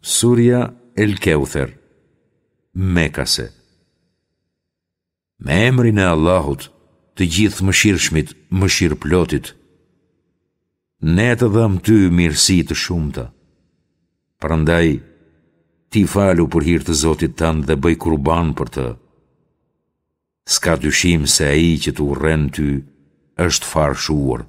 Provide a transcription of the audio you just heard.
Surja El Keuther, Mekase Me emrin e Allahut, të Gjithëmëshirshmit, mëshirëplotit. Ne të dhamë ty mirësi të shumta. Prandaj, ti falu për hir të Zotit tënd dhe bëj kurban për të. S'ka dyshim se ai që të urren ty është farë shuar.